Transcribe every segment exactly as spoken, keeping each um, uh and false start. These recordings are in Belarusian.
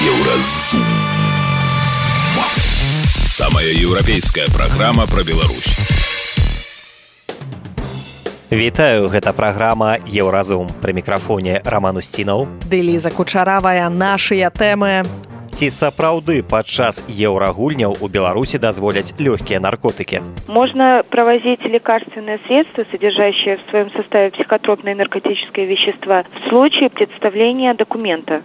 Еўразум. Самая еўрапейская праграма пра Беларусь. Вітаю, гэта праграма «Еўразум». Пры мікрафоне Роман Устінаў. Ды Ліза Кучаравая, нашыя тэмы. Ці сапраўды падчас еўрагульняў у Беларусі дазволяць лёгкія наркотыкі? Можно провозить лекарственные средства, содержащие в своем составе психотропные наркотические вещества, в случае представления документа.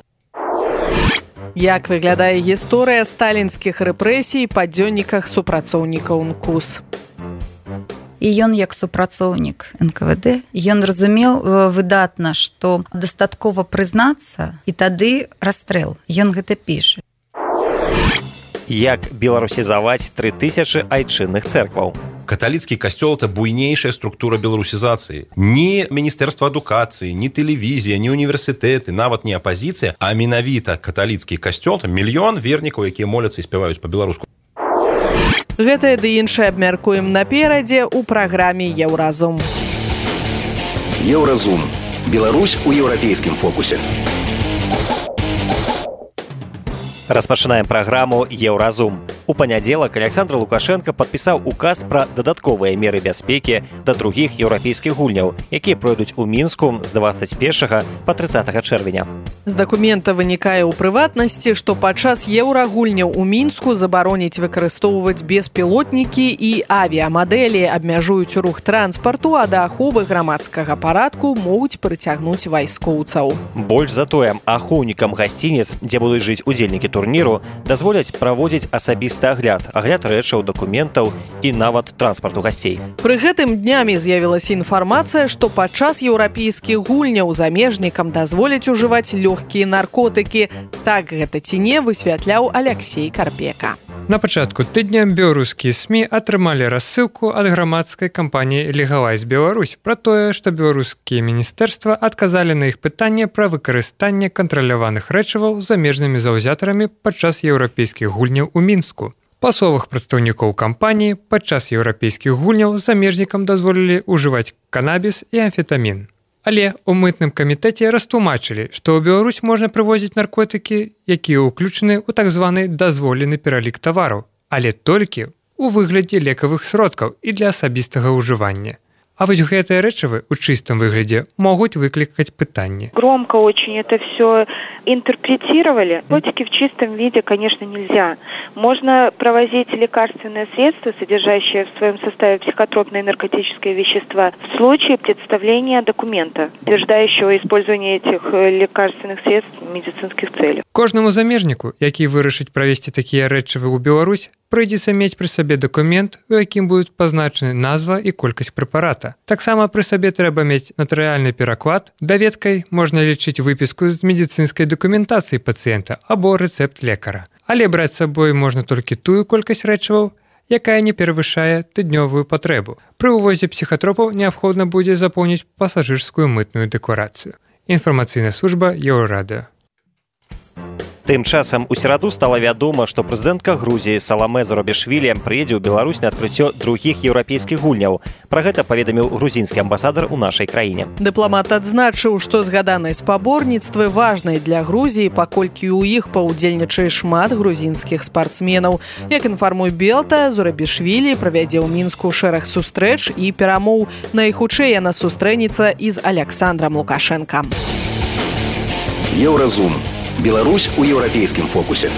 Як выглядае гісторыя сталінскіх рэпрэсій па дзённіках супрацоўнікаў эн ка у эс? І ён, як супрацоўнік эн ка вэ дэ, ён разумеў выдатна, што дастаткова прызнацца, і тады расстрэл. Ён гэта піша. Як беларусізаваць тры тысячы айчынных цэркваў? Каталіцкі касцёл – это буйнейшая структура беларусізацыі. Ні Міністэрства адукацыі, ні тэлевізія, ні універсітэты, нават не апазіцыя, а менавіта каталіцкі касцёл – это мільён вернікаў, якія моляцца і спяваюць па-беларуску. Гэтае ды іншае абмяркуем наперадзе ў праграме «Еўразум». Еўразум. Беларусь у еўрапейскім фокусе. Распачынаем праграму «Еўразум». У панядзелак Александр Лукашенко падпісаў указ пра дадатковыя меры бяспекі да другіх еўрапейскіх гульняў, якія пройдуць у Мінску з дваццаць першага па трыццатага чэрвеня. З дакумента вынікае ў прыватнасці, што падчас еўрагульняў у Мінску забароняць выкарыстоўваць беспілотнікі і авіямадэлі, абмяжуюць рух транспарту, а да аховы грамадскага парадку могуць прыцягнуць вайскоўцаў. Больш за тое, ахоўнікам гасцініц, дзе будуць жыць удзельнікі турніру, дазволяць праводзіць асабісты агляд, агляд рэчаў, дакументаў і нават транспарту гасцей. Пры гэтым днямі з'явілася інфармацыя, што падчас еўрапейскіх гульняў замежнікам дазволяць ужываць лёгкія наркотыкі. Так гэта ці не, высвятляў Аляксей Карпека. На пачатку тыдня беларускія СМІ атрымалі рассылку ад грамадскай кампаніі «Легалайз Беларусь» пра тое, што беларускія міністэрства адказалі на іх пытанне пра выкарыстанне кантраляваных рэчываў замежнымі заўзятарамі падчас еўрапейскіх гульняў у Мінску. Па словах прадстаўнікоў кампаніі, падчас еўрапейскіх гульняў замежнікам дазволілі ўжываць канабіс і амфетамін. Але ў мытным камітэце растлумачылі, што ў Беларусь можна прывозіць наркотыкі, якія ўключаны ў так званы дазволены пералік тавараў, але толькі ў выглядзе лекавых сродкаў і для асабістага ўжывання. А вось гэтыя рэчывы ў чыстым выглядзе могуць выклікаць пытанні. Громко очень это все интерпретировали. Наркотики в чистом виде, конечно, нельзя. Можно провозить лекарственные средства, содержащие в своем составе психотропные наркотические вещества, в случае представления документа, утверждающего использование этих лекарственных средств в медицинских целях. Кожнаму замежніку, які вырашыць правесці такія рэчывы ў Беларусь, прыйдзецца мець пры сабе дакумент, у якім будуць пазначаны назва і колькасць прэпарата. Таксама пры сабе трэба мець натарыяльны пераклад. Даведкай можна лічыць выпіску з медыцынскай дакументацыі пацыента або рэцэпт лекара. Але браць з сабой можна толькі тую колькасць рэчываў, якая не перавышае тыднёвую патрэбу. Пры ўвозе псіхатропаў неабходна будзе запоўніць пасажырскую мытную дэкларацыю. Інфармацыйная служба Еўрарадыё. Тым часам у сераду стала вядома, што прэзідэнтка Грузіі Саламе Зурабішвілі прыедзе ў Беларусь на адкрыццё другіх еўрапейскіх гульняў. Пра гэта паведаміў грузінскі амбасадар у нашай краіне. Дыпламат адзначыў, што згаданыя спаборніцтвы важныя для Грузіі, паколькі ў іх паўдзельнічае шмат грузінскіх спартсменаў. Як інфармуе Белта, Зурабішвілі правядзе ў Мінску шэраг сустрэч і перамоў. Найхутчэй яна сустрэнецца і з Александрам Лукашенкам. Еўразум. Беларусь у еўрапейскім фокусе.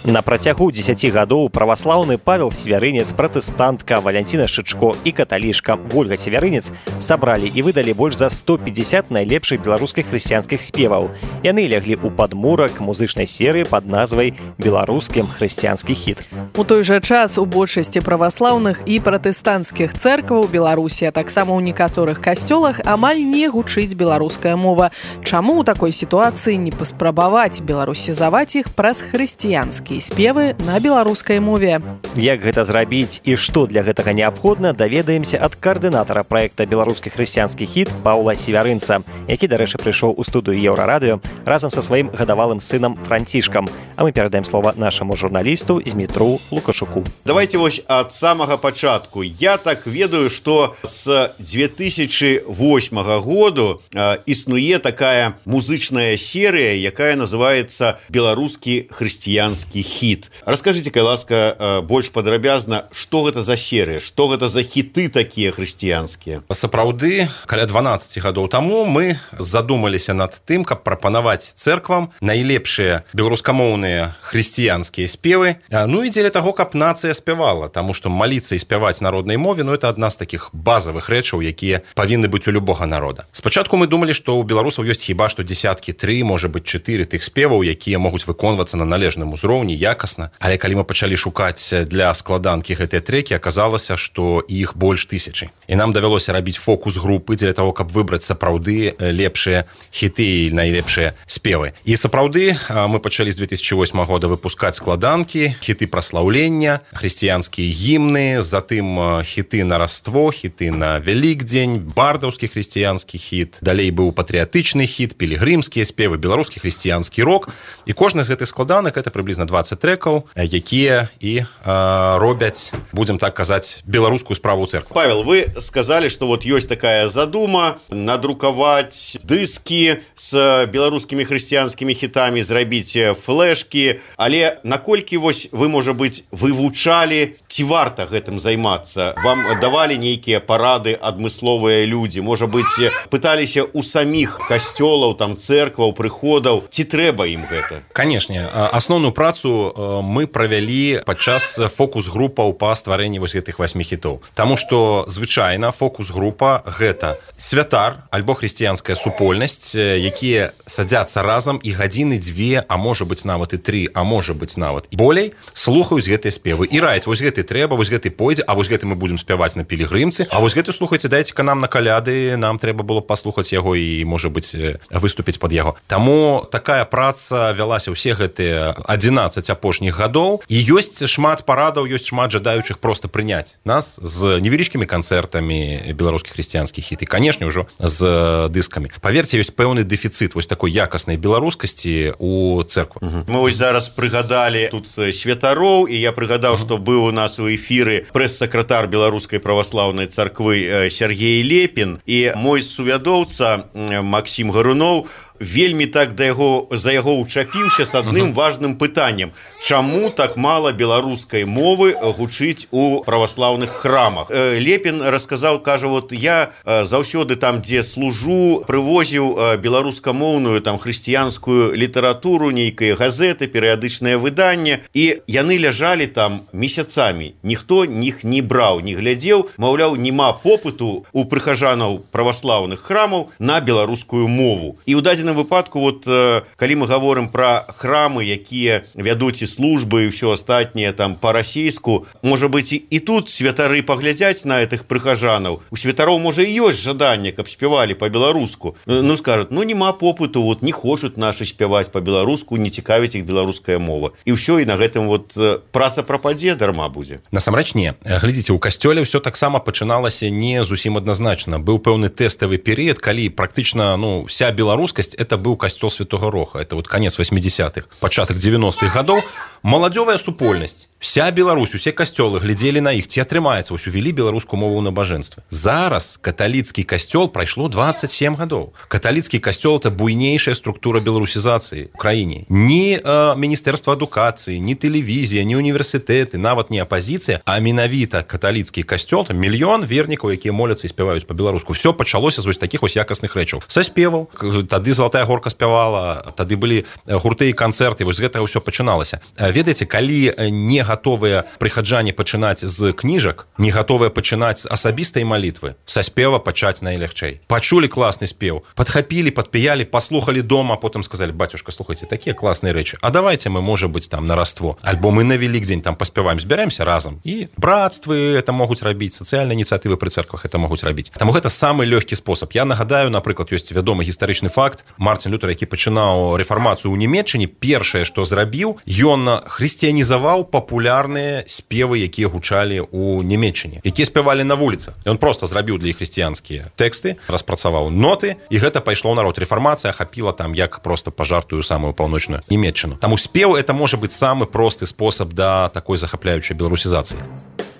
На працягу дзесяці гадоў праваслаўны Павел Севярынец, пратэстантка Валянціна Шычко і каталішка Вольга Севярынец сабралі і выдалі больш за сто пятьдесят найлепшых беларускіх хрысціянскіх спеваў. Яны ляглі ў падмурак музычнай серыі пад назвай «Беларускім хрысціянскі хіт». У той жа час у большасці праваслаўных і пратэстанцкіх цэркваў Беларусі, а таксама ў некаторых касцёлах амаль не гучыць беларуская мова. Чаму ў такой сітуацыі не паспрабаваць беларусізаваць іх праз хрысціянскі хрысціянскія спевы на беларускай мове. Як гэта зрабіць і што для гэтага неабходна, даведаемся ад каардынатара праекта «Беларускі хрысціянскі хіт» Паўла Севярынца, які, дарэчы, прыйшоў у студыю Еўрарадыё разам са сваім гадавалым сынам Францішкам. А мы перадаем слова нашаму журналісту Змітру Лукашуку. Давайте вось ад самага пачатку. Я так ведаю, што з две тысячи восьмага году э, існуе такая музычная серыя, якая называецца «Беларускі хрысціянскі хіт». Раскажыце, кай ласка, э, больш падрабязна, што гэта за серыя, што гэта за хіты такія хрысціянскія? Сапраўды, каля дванаццаць гадоў таму мы задумаліся над тым, каб прапанаваць цэрквам найлепшыя беларускамоўныя хрысціянскія спевы. Ну і дзеля таго, каб нацыя спявала, таму што маліцца і спяваць на роднай мове, ну это адна з такіх базавых рэчаў, якія павінны быць у любога народа. Спачатку мы думалі, што ў беларусаў ёсць хіба што дзесяткі тры, можа быць чатыры тых спеваў, якія могуць выконвацца на належным узроўні, якасна. Але калі мы пачалі шукаць для складанкі гэтыя трэкі, аказалася, што іх больш тысячы. І нам давялося рабіць фокус-групы дзеля таго, каб выбраць сапраўды лепшыя хіты і найлепшыя спевы. І сапраўды мы пачалі з две тысячи восьмага года выпускаць складанкі, хіты праслаўлення, хрысціянскія гімны, затым хіты на Раство, хіты на Вялікдзень, бардаўскі хрысціянскі хіт, далей быў патрыятычны хіт, пілігрымскія спевы, беларускі хрысціянскі рок. І кожны з гэтых складанак это прыблізна дваццаць трэкаў, якія і а, робяць, будзем так казаць, беларускую справу цэрквы. Павел, вы сказали, что вот есть такая задума надрукаваць дыскі з беларускімі хрысціянскімі хітамі, зрабіць флешкі, але наколькі вось вы, можа быць, вывучалі, ці варта гэтым займацца? Вам давалі нейкія парады адмысловыя людзі? Можа быць, пыталіся ў саміх касцёлаў, там, цэркваў, прыходаў, ці трэба ім гэта? Канешне, асноўную працу мы правялі падчас фокус-групаў па стварэнні вось гэтых васьмі хітоў. Таму што звычайна фокус-група гэта святар альбо хрысціянская супольнасць, якія садзяцца разам і гадзіны дзве, а можа быць нават і тры, а можа быць нават і болей, слухаюць гэтыя спевы і раяць, вось гэты трэба, вось гэты пойдзе, а вось гэты мы будзем спяваць на пілігрымцы, а вось гэты, слухайце, дайце-ка нам на каляды, нам трэба было паслухаць яго і, можа быць, выступіць пад яго. Таму такая праца вялася ўсе гэтыя адзінаццаць апошніх гадоў, і ёсць шмат парадаў, ёсць шмат жадаючых проста прыняць нас з невялічкімі канцэртамі беларускіх хрысціянскіх хіт і, канешне, ўжо з дыскамі. Паверце, ёсць пэўны дэфіцыт вось такой якаснай беларускасці у цэрквах. Угу. Мы вось зараз прыгадалі тут святароў, і я прыгадаў, угу. што быў у нас у эфіры прэс-сакратар Беларускай праваслаўнай царквы Сергей Лепін, і мой сувядоўца Максім Гаруноў вельмі так да яго, за яго ўчапіўся з адным важным пытаннем. Чаму так мала беларускай мовы гучыць у праваслаўных храмах? Лепін расказаў, кажа, вот я заўсёды там, дзе служу, прывозіў беларускамоўную там хрысціянскую літаратуру, нейкія газеты, перыядычнае выданне, і яны ляжалі там месяцамі. Ніхто іх не браў, не глядзеў, маўляў, няма попыту у прыхажанаў праваслаўных храмаў на беларускую мову. І ў дадзеным выпадку, вот, калі мы гаворым пра храмы, якія вядуць і службы і ўсё астатняе там па-расейску, можа быць, і тут святары паглядзяць на гэтых прыхажанаў. У святароў, можа, і ёсць жаданне, каб спявалі па-беларуску. Ну, скажуць, ну, няма попыту, вот, не хочуць нашы спяваць па-беларуску, не цікавіць іх беларуская мова. І ўсё, і на гэтым вот праца прападзе, дарма будзе. Насамрэч не. Глядзіце, у касцёле ўсё таксама пачыналася не зусім адназначна. Быў пэўны тэставы перыяд, калі практычна, ну, вся беларускасць это быў касцёл Святога Роха. Это вот конец восьмидесятых, пачатак девяностых гадоў. Маладзёвая супольнасць. Вся Беларусь, усе касцёлы глядзелі на іх, ці атрымаецца, вось увялі беларускую мову ў набажэнстве. Зараз каталіцкі касцёл прайшло двадцать семь гадоў. Каталіцкі касцёл это буйнейшая структура беларусізацыі ў краіне. Ні э, міністэрства адукацыі, ні тэлевізія, ні універсітэты, нават не апазіцыя, а менавіта каталіцкі касцёл, там мільён вернікаў, якія моляцца і спяваюць па-беларуску. Всё пачалося з вось такіх вось якасных рэчаў. Са спеваў, тады Залатая горка спявала, тады былі гурты і канцэрты, вось гэтага ўсё пачыналася. Ведаеце, калі не гатовыя прыхаджане пачынаць з кніжак, не гатовыя пачынаць з асабістай малітвы, са спева пачаць найлягчэй. Пачулі класны спеў, падхапілі, падпіялі, паслухалі дома, потым сказалі: бацюшка, слухайце, такія класныя рэчы, а давайте мы, можа быць, там на Раство, альбо мы на Велікдзень там паспяваем, збяремся разам. І брацтвы это могуць рабіць, сацыяльныя ініцыятывы пры церквах это могуць рабіць. Таму гэта самы лёгкі спосаб. Я нагадаю, напрыклад, ёсць вядомы гістарычны факт. Мартин Лютер, які пачынаў рэфармацыю ў Нямецчыне, першае, што зрабіў, ён хрысціянізаваў папулярныя спевы, якія гучалі ў Нямецчыне, якія спявалі на вуліцах. Ён проста зрабіў для іх хрысціянскія тэксты, распрацаваў ноты, і гэта пайшло ў народ. Рэфармацыя ахапіла там як проста пажартую самую паўночную Нямецчыну. Таму спеў это можа быць самы просты спосаб да такой захапляючай беларусізацыі.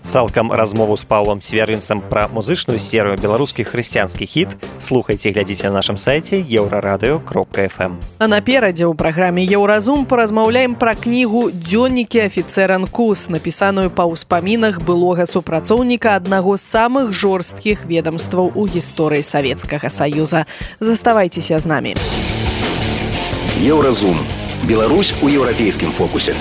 Цалкам размову з Паўлам Свярынцам пра музычную серыю беларускі хрысціянскі хіт слухайце і глядзіце на нашым сайце еўрарадыё кропка эф эм. А наперадзе ў праграме «Еўразум» паразмаўляем пра кнігу «Дзённікі афіцэра НКУС», напісаную па ўспамінах былога супрацоўніка аднаго з самых жорсткіх ведамстваў у гісторыі Савецкага Саюза. Заставайцеся з намі. Еўразум. Беларусь у еўрапейскім фокусе.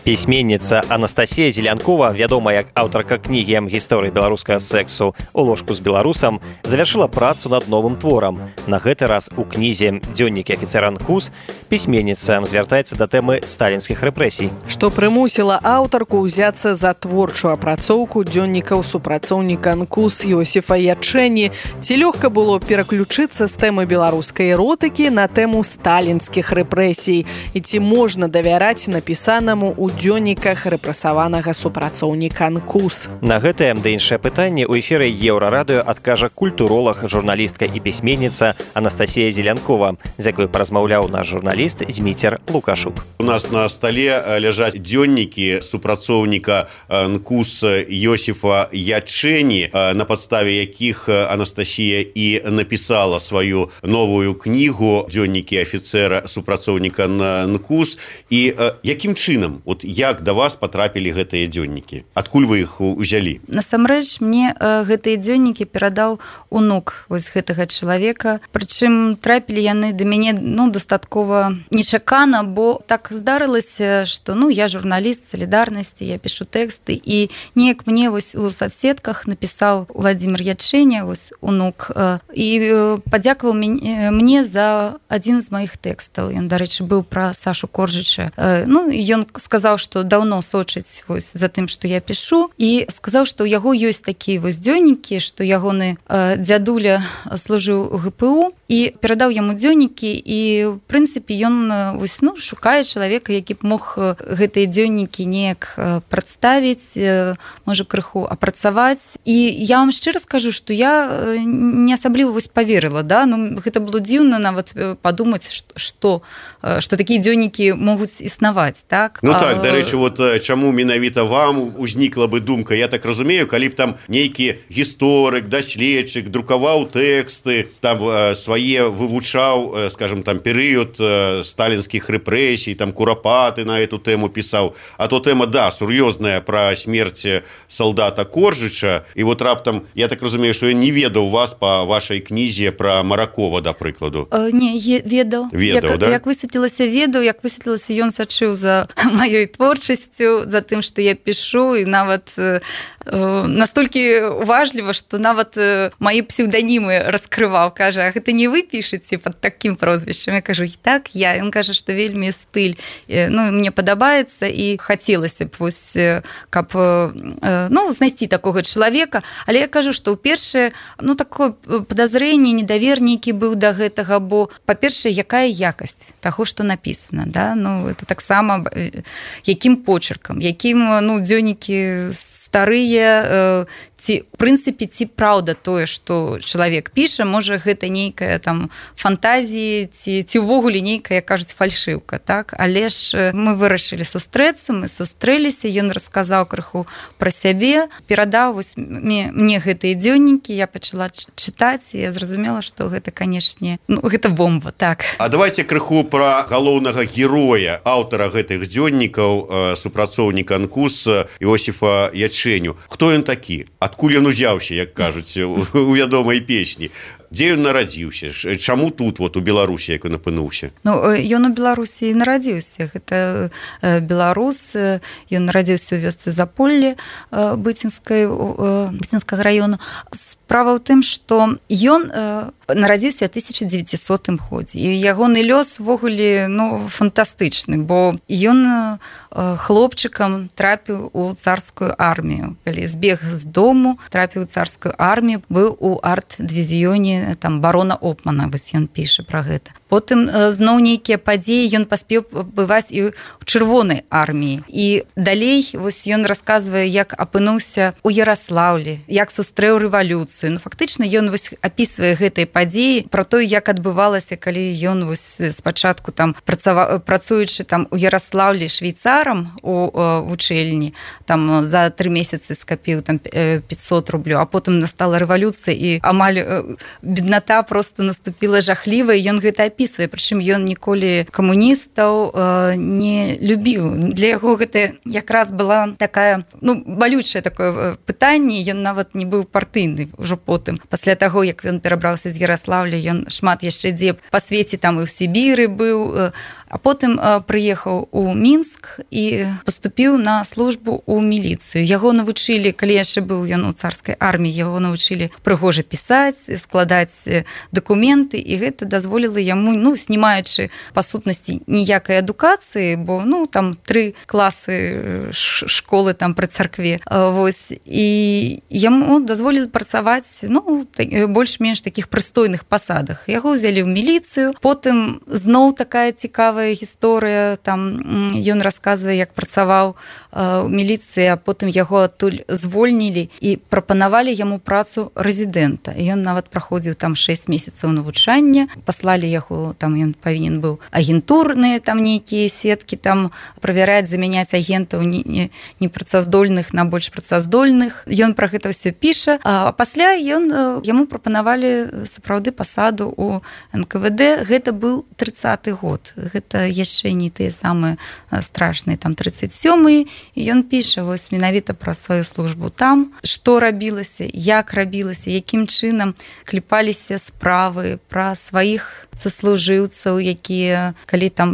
Пісьменніца Анастасія Зелянкова, вядомая як аўтарка кнігі гісторыі беларускага сэксу «У ложку з беларусам», завяршыла працу над новым творам. На гэты раз у кнізе «Дзённікі афіцэра НКУС» пісьменніца звяртаецца да тэмы сталінскіх рэпрэсій. Што прымусіла аўтарку ўзяцца за творчую апрацоўку дзённікаў супрацоўніка НКУС Йосіфа Ячэні? Ці лёгка было пераключыцца з тэмы беларускай эротыкі на тэму сталінскіх рэпрэсій? І ці можна давяраць напісанаму ў дзённіках рэпрэсаванага супрацоўніка НКУС? На гэтае да іншае пытанне ў эфіры Еўрарадыё адкажа культуролаг, журналістка і пісьменніца Анастасія Зелянкова, з якой паразмаўляў наш журналіст Зміцер Лукашук. У нас на стале ляжаць дзённікі супрацоўніка НКУС Йосіфа Ячэні, на падставе якіх Анастасія і напісала сваю новую кнігу «Дзённікі афіцэра супрацоўніка НКУС». І якім чынам, от як да вас патрапілі гэтыя дзённікі? Адкуль вы іх узялі? Насамрэч, мне э, гэтыя дзённікі перадаў унук вось гэтага чалавека. Прычым трапілі яны да мяне ну, дастаткова нечакана, бо так здарылася, што ну, я журналіст салідарнасці, я пішу тэксты, і неяк мне вось у соцсетках напісаў Владзімір Ячэня, вось унук, э, і э, падзякаваў мне, мне за адзін з маіх тэкстаў. Ён, дарэчы, быў пра Сашу Коржыча. Э, ну, і ён сказаў, што даўно сочыць вось за тым, што я пішу, і сказаў, што ў яго ёсць такія вось дзённікі, што ягоны э, дзядуля служыў у гэ пэ у, і перадаў яму дзённікі, і в прынцыпе ён вось, ну, шукае чалавека, які б мог гэтыя дзённікі неяк прадставіць, э, можа крыху апрацаваць. І я вам шчыра скажу, што я не асабліва вось паверыла, да? Ну, гэта было дзіўна нават падумаць, што, што такія дзённікі могуць існаваць, так? Ну так, дарэчы, вот чаму менавіта вам узнікла бы думка, я так разумею, калі б там нейкі гісторык, даследчык друкаваў тэксты, там свае вывучаў, скажем, там перыяд сталінскіх рэпрэсій, там курапаты на эту тэму пісаў, а то тэма, да, сур'ёзная пра смерць салдата Коржыча, і вот раптам, я так разумею, што я не ведаў вас па вашай кнізе пра Маракова, да прыкладу. Э, не, ведаў. Ведаў, як, да? Як высветлілася, ведаў, як высветлілася, ён сачыў за маёй творчасцю, за тым, што я пішу, і нават э, настолькі уважліва, што нават э, маі псеўданімы раскрываў, кажа, а гэта не вы пішаце пад такім прозвішчам? Я кажу, так, я. Ён кажа, што вельмі стыль, э, ну, мне падабаецца, і хацелася б вось, э, каб э, ну, знайсці такога чалавека, але я кажу, што ўпершае, ну, такое падазрэнне, недавер нейкі быў да гэтага, бо, па-першае, якая якасць таго, што напісана, да? Ну, это таксама якім почеркам, якім, ну, дзённікі старыя, э, ці, в прынцыпе, ці праўда тое, што чалавек піша, можа, гэта нейкая там фантазія, ці, ці ўвогуле нейкая, кажуць, фальшыўка, так? Але ж мы вырашылі сустрэцца, мы сустрэліся, ён расказаў крыху пра сябе, перадаў вось мне, мне гэтыя дзённікі, я пачала чытаць, і я зразумела, што гэта, канешне, ну, гэта бомба, так. А давайте крыху пра галоўнага героя, аўтара гэтых дзённікаў, супрацоўніка НКУС Йосіфа Ячэню. Хто ён такі? Адкуль ён узяўся, як кажуць у вядомай песні? дзе ён нарадзіўся, чаму тут вот у Беларусі як ён апынуўся? Ну ён у Беларусі нарадзіўся, гэта беларус, ён нарадзіўся ў вёсцы Заполле быцінскай быцінскага раёну. Справа ў тым, што ён нарадзіўся ў тысяча дзевяцісотым годзе, і ягоны лёс увогуле ну фантастычны, бо ён хлопчыкам трапіў у царскую армію. Калі збег з дому, трапіў у царскую армію, быў у арт-дывізіёне там барона Опмана, вось ён піша пра гэта. Потым зноў нейкія падзеі, ён паспеў бываць і ў чырвонай арміі. І далей вось ён расказвае, як апынуўся ў Яраслаўлі, як сустрэў рэвалюцыю. Ну фактычна ён вось апісвае гэтай падзеі пра то, як адбывалася, калі ён вось спачатку там працаваў, працуючы там у Яраслаўлі швейцарам у вучэльні, там за тры месяцы скапіў там пятьсот рублёў, а потым настала рэвалюцыя і амаль бедната просто наступіла жахлівая, ён гэта апісвае, прычым ён ніколі камуністаў не любіў. Для яго гэта якраз была такая, ну, балючае такое пытанне, ён нават не быў партыйны ўжо потым. Пасля таго, як ён перабраўся з Яраслаўля, ён шмат яшчэ дзе па свеце там і ў Сібіры быў, а потым прыехаў у Мінск і паступіў на службу ў міліцыю. Яго навучылі, калі яшчэ быў ён у царскай арміі, яго навучылі прыгожа пісаць, складаць дакументы, і гэта дазволіла яму, ну, знімаючы па сутнасці ніякай адукацыі, бо, ну, там тры класы школы там пры царкве, вось, і яму дазволілі працаваць, ну, больш-менш такіх прыстойных пасадах. Яго ўзялі ў міліцыю, потым зноў такая цікавая гісторыя, там ён расказвае, як працаваў у міліцыі, а потым яго адтуль звольнілі і прапанавалі яму працу рэзідэнта. Ён нават праходзіў там шэсць месяцаў навучання, паслалі яго, там ён павінен быў агентурныя там нейкія сеткі там правяраць, замяняць агентаў непрацаздольных на больш працаздольных. Ён пра гэта ўсё піша, а пасля ён яму прапанавалі сапраўды пасаду ў эн ка вэ дэ. Гэта быў трыццаты год. Гэта яшчэ не тыя самыя страшныя, там трыццаць сёмы, і ён піша вось менавіта пра сваю службу там, што рабілася, як рабілася, якім чынам кліпаліся справы пра сваіх саслужыўцаў, якія калі там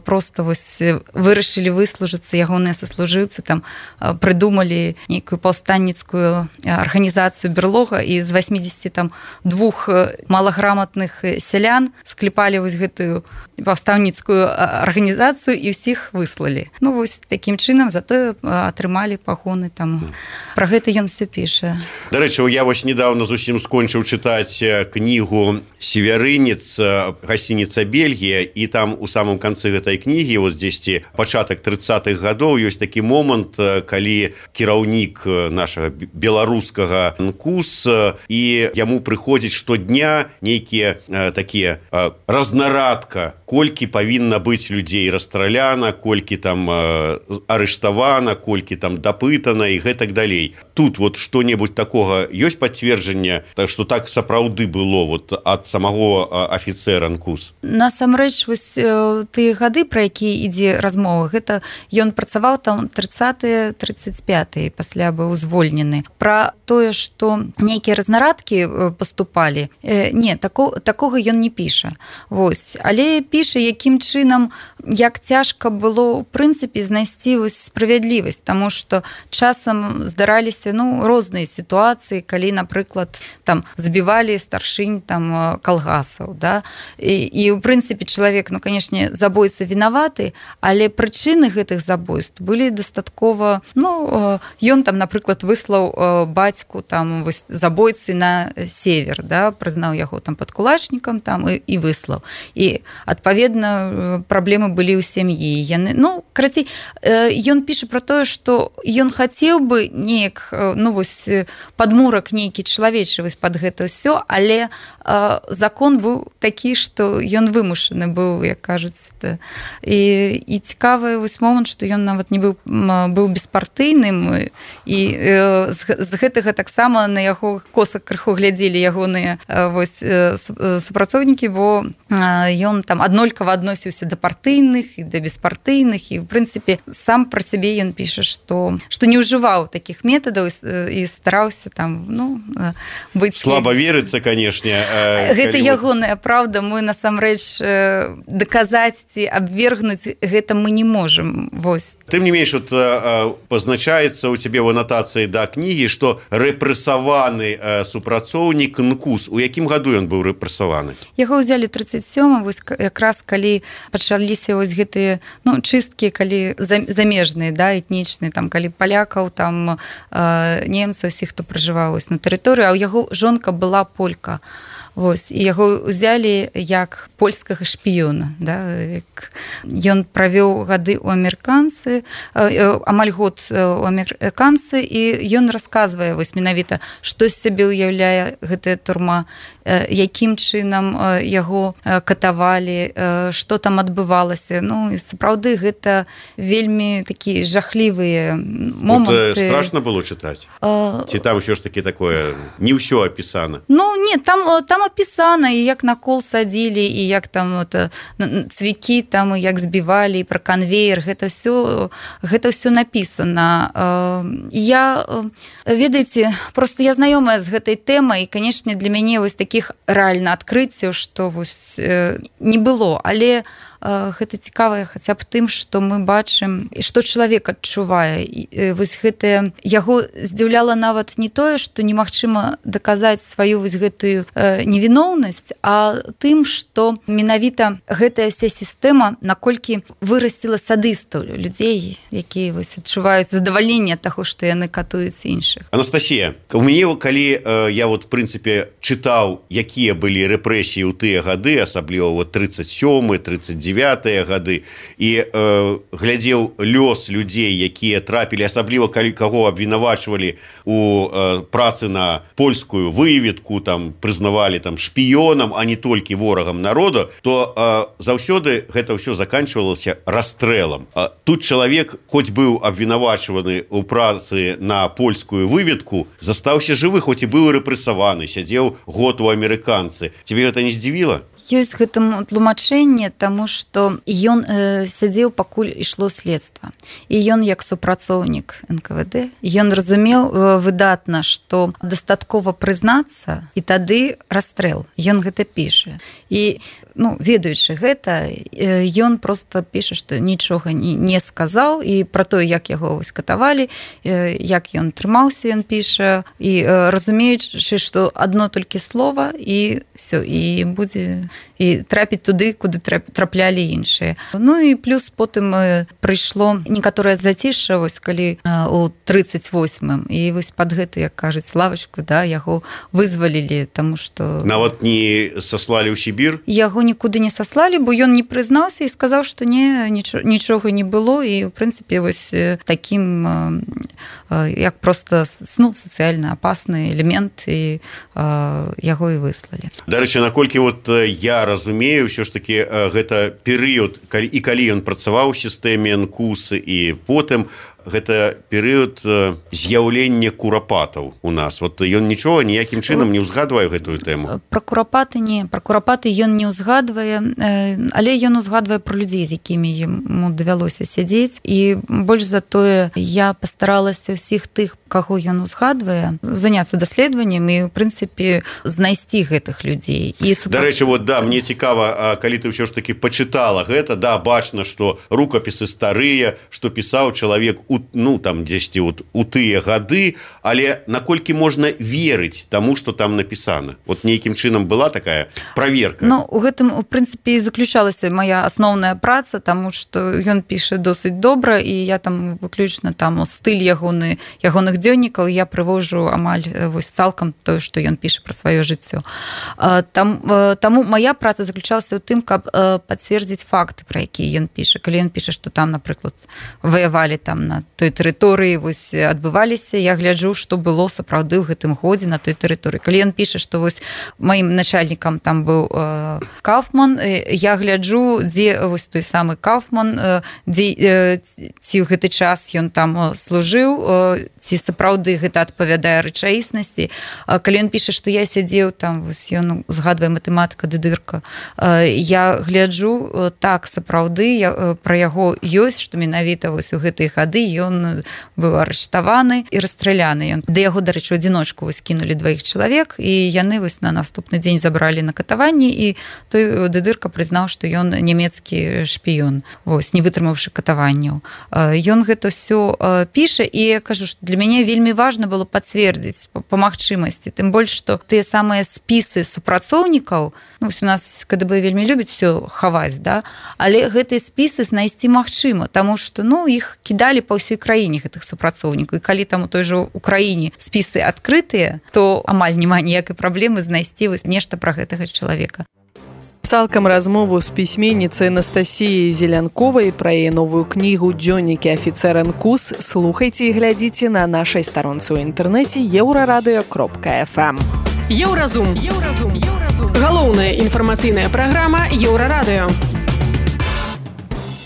просто вось вырашылі выслужыцца, ягоныя саслужыўцы там прыдумалі нейкую паўстанніцкую арганізацыю берлога, і з восьмидесяти двух малаграмотных сялян скліпалі вось гэтую паўстаўніцкую арганізацыю і ўсіх выслалі. Ну вось такім чынам затое атрымалі пагоны там. Пра гэта ён все піша. Дарэчы, я вось недавно зусім скончыў чытаць кнігу «Севярынец», гасцініца Бельгія, і там у самым канцы гэтай кнігі, вот дзесьці пачатак трыццатых гадоў, ёсць такі момант, калі кіраўнік нашага беларускага эн ка у эс, і яму прыходзіць штодня нейкія такія разнарадка, колькі павінна быць людзей расстраляна, колькі там арыштавана, колькі там дапытана і гэтак далей. Тут вот што-небудзь такога ёсць пацверджанне, што так сапраўды было вот ад самого афіцэра эн ка у эс? Насамрэч, вось тыя гады, пра якія ідзе размова, гэта ён працаваў там трыццатыя трыццаць пятыя, пасля быў звольнены. Пра тое, што нейкія разнарадкі паступалі, не, тако, такога ён не піша. Вось. Але піша, якім чынам, як цяжка было, ў прынцыпе, знайсці вось справядлівасць, таму што часам здараліся, ну, розныя сітуацыі, калі, напрыклад, там забівалі старшынь там калгасаў, да, і, і ў прынцыпе чалавек, ну, канешне, забойца вінаваты, але прычыны гэтых забойств былі дастаткова, ну, ён там, напрыклад, выслаў бацьку там вось забойцы на север, да, прызнаў яго там падкулачнікам там і, і выслаў. І адпаведна праблемы былі ў сям'і. Яны, ну, карацей, ён піша пра тое, што ён хацеў бы неяк, ну, вось падмурак нейкі чалавечы вось пад гэта ўсё, але э, закон быў такі, што ён вымушаны быў, як кажуць. І, і цікавы вось момант, што ён нават не быў, быў беспартыйным, і э, з, з гэтага таксама на яго коса крыху глядзелі ягоныя э, вось, э, супрацоўнікі, бо э, ён там аднолькава адносіўся да партыйных і да беспартыйных, і в прынцыпе сам пра сябе ён піша, што што не ўжываў такіх метадаў і стараўся там ну быць слаба верыцца, канешне. Гэта ягоная праўда, мы насамрэч даказаць ці абвергнуць гэта мы не можам. Вось. Тым не менш, вот, пазначаецца ў цябе ў анатацыі да кнігі, што рэпрэсаваны супрацоўнік НКУС. У якім году ён быў рэпрэсаваны? Яго ўзялі тридцать сёмым, вось якраз калі пачаліся вось гэтыя ну, чысткі, калі замежныя, да, этнічныя, там, калі палякаў, там, немцаў, усіх, хто пражываў на тэрыторыі, а ў яго жонка была полька. Вось, і яго ўзялі як польскага шпіёна. Да? Ён правёў гады ў амерыканцы, амаль год у амерыканцы, і ён расказвае вось менавіта, што з сябе ўяўляе гэтая турма, якім чынам яго катавалі, што там адбывалася. Ну, і сапраўды гэта вельмі такія жахлівыя моманты. Вот, страшна было чытаць? А... Ці там ўсё ж такі такое, не ўсё апісана? Ну, не, там, там апісана, і як на кол садзілі, і як там это, цвікі, там, і як збівалі, і пра канвеер, гэта ўсё, гэта ўсё напісана. Я, ведаеце, просто я знаёмая з гэтай тэмай, і, канешне, для мяне вось такіх рэальна адкрыццяў, што вось не было, але гэта цікавае хаця б тым, што мы бачым, што чалавек адчувае. Вось гэтае, яго здзіўляла нават не тое, што немагчыма даказаць сваю вось гэтую невіноўнасць, а тым, што менавіта гэтая вся сістэма наколькі вырасціла садыстаў, людзей, якія вось адчуваюць задавальненне таго, што яны катуюць іншых. Анастасія, у мяне, калі я вот, в прынцыпе, чытаў, якія былі рэпрэсіі ў тыя гады, асабліва вот тридцать сёмы, тридцать девятыя гады, і э, глядзеў лёс людзей, якія трапілі, асабліва калі каго абвінавачвалі у э, працы на польскую выведку, там прызнавалі там шпіёнам, а не толькі ворагам народа, то э, заўсёды гэта ўсё заканчвалася расстрэлам. А тут чалавек, хоць быў абвінавачваны ў працы на польскую выведку, застаўся жывы, хоць і быў рэпрэсаваны, сядзеў год у амерыканцы. Тебе гэта не здзівіла? Ёсць гэтаму тлумачэнне, таму што ён э, сядзеў, пакуль ішло следства. І ён як супрацоўнік эн ка вэ дэ, ён разумеў э, выдатна, што дастаткова прызнацца, і тады расстрэл. Ён гэта піша. І ну, ведаючы гэта, ён просто піша, што нічога не, не сказаў, і пра тое, як яго вось катавалі, як ён трымаўся, ён піша, і разумеючы, што адно толькі слова, і все, і будзе і трапіць туды, куды траплялі іншыя. Ну і плюс потым прыйшло некаторае зацішша, вось калі у тридцать восьмым, і вось пад гэту, як кажуць, лавачку, да, яго вызвалілі, таму што... Нават не саслалі ў Сібір? Яго нікуды не саслалі, бо ён не прызнаўся і сказаў, што не, нічога, нічога не было, і, в прынцыпе, вось такім, як проста ну, сацыяльна апасны элемент, і яго і выслалі. Дарэчы, наколькі вот я разумею, ўсё ж такі гэта перыяд, і калі ён працаваў у сістэме эн ка у эс, і потым гэта перыяд з'яўлення курапатаў у нас. Вот ён нічога ніякім чынам не ўзгадвае гэтую тэму. Пра курапаты не, пра курапаты ён не ўзгадвае, але ён узгадвае пра людзей, з якімі яму давялося сядзець, і больш за тое я пастаралася ўсіх тых, каго ён узгадвае, заняцца даследаваннем і, в прынцыпе, знайсці гэтых людзей. І супра... Дарэчы, вот, да, мне цікава, калі ты ўсё ж такі пачытала гэта, да, бачна, што рукапісы старыя, што пісаў чалавек у, ну, там, дзесьці вот, у тыя гады, але наколькі можна верыць таму, што там напісана? Вот нейкім чынам была такая праверка? Ну, у гэтым, у прынцыпе, і заключалася моя асноўная праца, таму што ён піша досыць добра, і я там выключна там стыль ягоны, ягоных дзённікаў я прывожу амаль вось цалкам тое, што ён піша пра сваё жыццё. Там, таму моя праца заключалася ў тым, каб пацвердзіць факты, пра якія ён піша. Калі ён піша, што там, напрыклад, ваявалі там на на той тэрыторыі вось адбываліся, я гляджу, што было сапраўды ў гэтым годзе на той тэрыторыі. Калі ён піша, што вось маім начальнікам там быў э, Кауфман, я гляджу, дзе вось той самы Кауфман, э, дзе э, ці ў гэты час ён там служыў, э, ці сапраўды гэта адпавядае рэчаіснасці. Э, калі ён піша, што я сядзеў там, вось ён згадвае матэматыка дыдырка, э, я гляджу, э, так, сапраўды, я, э, пра яго ёсць, што менавіта вось у гэтыя гады ён быў арыштаваны і расстраляны. Ён да яго, дарэчы, у адзіночку вось кінулі дваіх чалавек, і яны вось на наступны дзень забралі на катаванні, і той дыдырка прызнаў, што ён нямецкі шпіён, вось, не вытрымаўшы катаванняў. Ён гэта ўсё піша, і я кажу, што для мяне вельмі важна было пацвердзіць па магчымасці, тым больш, што тыя самыя спісы супрацоўнікаў, ну, у нас КДБ вельмі любіць все хаваць, да? Але гэтыя спісы знайсці магчыма, таму што, ну, іх кідалі па ўсёй краіне гэтых супрацоўнікаў, і калі там у той жа Украіне спісы адкрытыя, то амаль няма ніякай праблемы знайсці вось нешта пра гэтага чалавека. Цалкам размову з пісьменніцай Анастасіяй Зелянковай пра яе новую кнігу «Дзённікі афіцэр НКУС» слухайце і глядзіце на нашай старонцы ў інтэрнэце еўрарадыё кропка эф эм. Еўразум. Еўразум. Еўразум. Галоўная інфармацыйная праграма Еўрарадыё.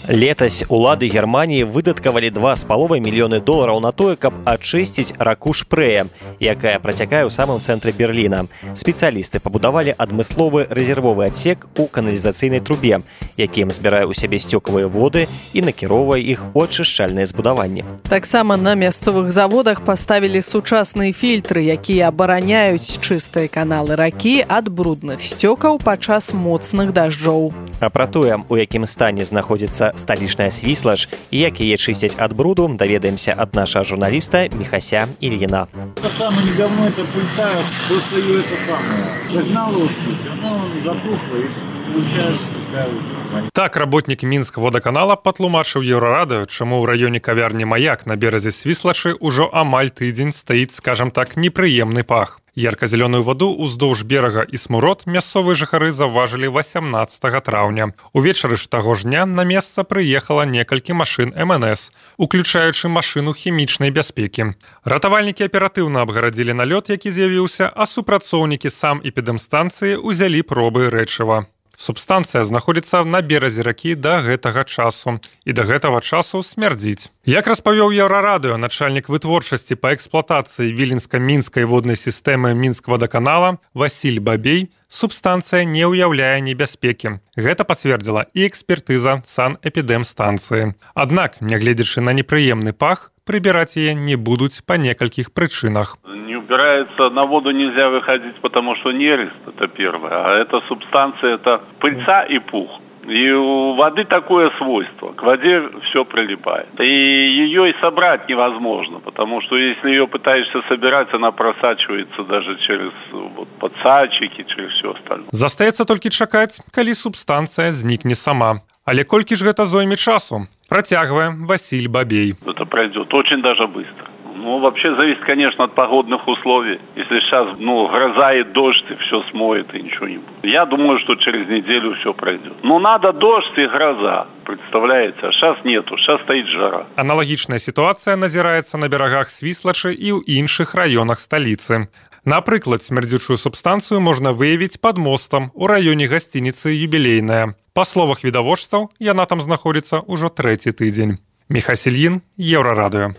Летась улады Германіі выдаткавалі два з паловай мільёны долараў на тое, каб ачысціць раку Шпрэя, якая працякае ў самым цэнтры Берліна. Спецыялісты пабудавалі адмысловы рэзервовы адсек у каналізацыйнай трубе, якім збірае ў сябе сцёкавыя воды і накіроўвае іх у ачышчальныя збудаванні. Таксама на мясцовых заводах паставілі сучасныя фільтры, якія абараняюць чыстыя каналы ракі ад брудных сцёкаў падчас моцных дажджоў. А пра тое, у якім стане знаходзіцца сталічная Свіслаж і як яе чысцяць ад бруду, даведаемся ад нашага журналіста Михася Ильина. Это самое не говно, это пыльца, просто ее это самое. Загнало, оно запухло и получается такая вот. Так работнік Мінск-водаканала патлумачыў Еўрарадыё, чаму ў раёне кавярні «Маяк» на беразе Свіслачы ўжо амаль тыдзень стаіць, скажам так, непрыемны пах. Ярка-зялёную ваду ўздоўж берага і смурод мясцовыя жыхары заўважылі васямнаццатага траўня. Увечары ж таго ж дня на месца прыехала некалькі машын эм эн эс, уключаючы машыну хімічнай бяспекі. Ратавальнікі аператыўна абгарадзілі налёт, які з'явіўся, а супрацоўнікі сам эпідэмстанцыі ўзялі пробы рэчыва. Субстанцыя знаходзіцца на беразе ракі да гэтага часу і да гэтага часу смярдзіць. Як распавёў Еўрарадыё начальнік вытворчасці па эксплуатацыі віленска-мінскай воднай сістэмы Мінск-водаканала Васіль Бабей, субстанцыя не ўяўляе небяспекі. Гэта пацвердзіла і экспертыза санэпідэмстанцыі. Аднак, нягледзячы на непрыемны пах, прыбіраць яе не будуць па некалькіх прычынах. Убирается, на воду нельзя выходить, потому что нерест, это первое, а эта субстанция, это пыльца и пух. И у воды такое свойство, к воде все прилипает. И ее и собрать невозможно, потому что если ее пытаешься собирать, она просачивается даже через вот, подсадчики, через все остальное. Застаецца толькі чакаць, калі субстанцыя знікне сама. Але колькі ж гэта зойме часу? Працягвае Васіль Бабей. Это пройдет очень даже быстро. Ну, вообще зависит, конечно, от погодных условий. Если сейчас, ну, гроза и дождь, и все смоет, и ничего не будет. Я думаю, что через неделю все пройдет. Но надо дождь и гроза, представляете? А сейчас нету, сейчас стоит жара. Аналагічная сітуацыя назіраецца на берагах Свіслачы і ў іншых раёнах сталіцы. Напрыклад, смярдзючую субстанцыю можна выявіць пад мостам у раёне гасцініцы «Юбілейная». Па словах відавочцаў, яна там знаходзіцца ўжо трэці тыдзень. Михась Ильин, Еўрарадыё.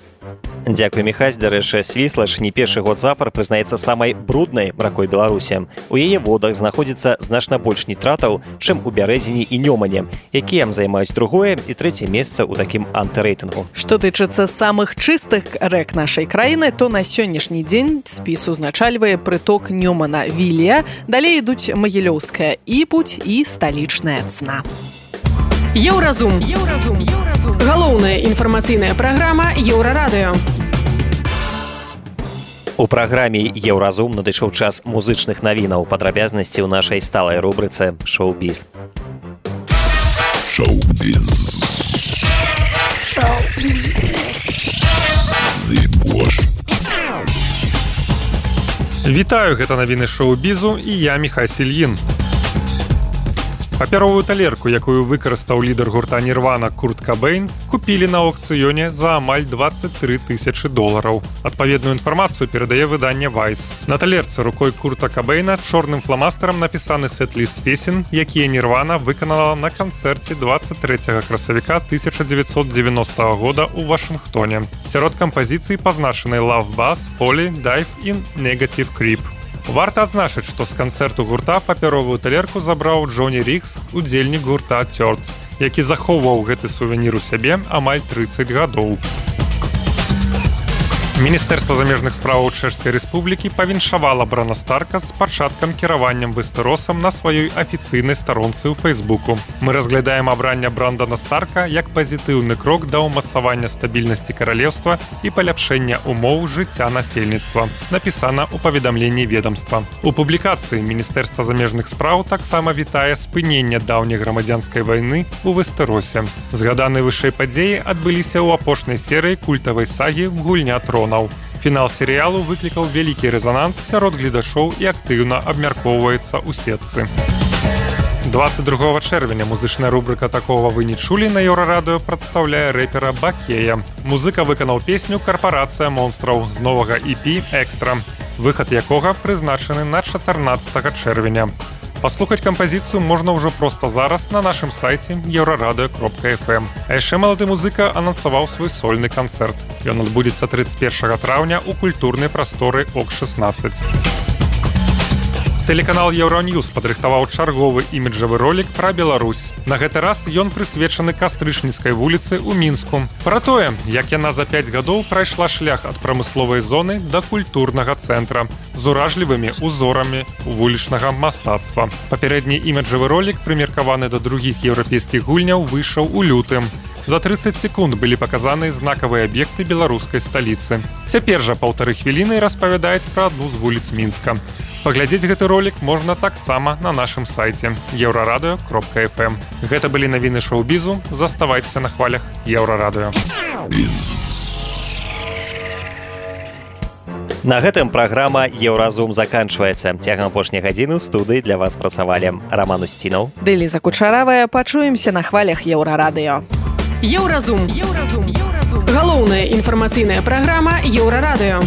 Дзякуй, Михась. Дарэчы, Свіслаж не першы год запар прызнаецца самай бруднай ракой Беларусі. У яе водах знаходзіцца значна больш нітратаў, чым у Бярэзіні і Нёмане, якія займаюць другое і трэцяе месца ў такім антырэйтынгу. Што тычыцца самых чыстых рэк нашай краіны, то на сённяшні дзень спіс узначальвае прыток Нёмана Вілія, далей ідуць Магілёўская Іпуць і сталічная Цна. Еўразум. Еўразум. Еўразум. Галоўная інфармацыйная праграма Еўрарадыё. У праграме «Еўразум» надышоў час музычных навінаў, падрабязнасці ў нашай сталай рубрыцы «Шоу-біз». Шоу-біз. Шоу-біз. Вітаю, гэта навіны шоу-бізу і я Михась Ильин. Папяровую талерку, якую выкарыстаў лідар гурта Нірвана Курт Кабейн, купілі на аукцыёне за амаль двадцать три тысячы долараў. Адпаведную інфармацыю перадае выданне Vice. На талерцы рукой Курта Кабейна чорным фламастарам напісаны сет-ліст песен, якія Нірвана выканала на канцэрце двадцать трэцяга красавіка тысяча девятьсот девяностого года ў Вашынгтоне. Сярод кампазіцый пазначаны Love Buzz, Poly, Dive і Negative Creep. Варта адзначыць, што з канцэрту гурта папяровую талерку забраў Джоні Рікс, удзельнік гурта Тёрд, які захоўваў гэты сувенір у сябе амаль трыццаць гадоў. Міністэрства замежных справаў Чэшскай Рэспублікі павіншавала Брана Старка з пачаткам кіраваннем Вестеросам на сваёй афіцыйнай старонцы ў Фейсбуку. Мы разглядаем абранне Брандана Старка як пазітыўны крок да ўмацавання стабільнасці каралеўства і паляпшэння умоў жыцця насельніцтва, напісана ў паведамленні ведамства. У публікацыі Міністэрства замежных спраў таксама вітае спыненне даўняй грамадзянскай вайны ў Вестеросе. Згаданыя вышэй падзеі адбыліся ў апошняй серыі культавай сагі «Гульня трон». Фінал серыялу выклікаў вялікі рэзананс сярод гледачоў і актыўна абмяркоўваецца ў сетцы. двадцать другого чэрвеня музычная рубрыка «Такого вы не чулі» на Еўрарадыё прадстаўляе рэпера Бакея. Музыка выканаў песню «Карпарацыя монстраў» з новага і пі «Экстра», выхад якога прызначаны на чатырнаццатага чэрвеня. Паслухаць кампазіцыю можна ўжо проста зараз на нашым сайце еўрарадыё кропка эф эм. А яшчэ малады музыка анансаваў свой сольны канцэрт. Ён адбудзецца трыццаць першага траўня ў культурнай прасторы ок шэснаццаць. Тэлеканал Еўраньюз падрыхтаваў чарговы іміджавы ролік пра Беларусь. На гэты раз ён прысвечаны Кастрычніцкай вуліцы ў Мінску. Пра тое, як яна за пяць гадоў прайшла шлях ад прамысловай зоны да культурнага цэнтра з уражлівымі узорамі вулічнага мастацтва. Папярэдні іміджавы ролік, прымеркаваны да другіх еўрапейскіх гульняў, выйшаў у лютым. За трыццаць секунд былі паказаны знакавыя аб'екты беларускай сталіцы. Цяпер жа паўтары хвіліны распавядаюць пра адну з вуліц Мінска. Паглядзець гэты ролік можна таксама на нашым сайце еўрарадыё кропка эф эм. Гэта былі навіны шоу-бізу. Заставайцеся на хвалях Еўрарадыё. На гэтым праграма «Еўразум» заканчваецца. Цягам апошняй гадзіны ў студыі для вас працавалі Раман Усцінаў, Дэліза Кучаравая. Пачуемся на хвалях Еўрарадыё. Еўразум. Еўразум. Еўразум. Галоўная інфармацыйная праграма Еўрарадыё.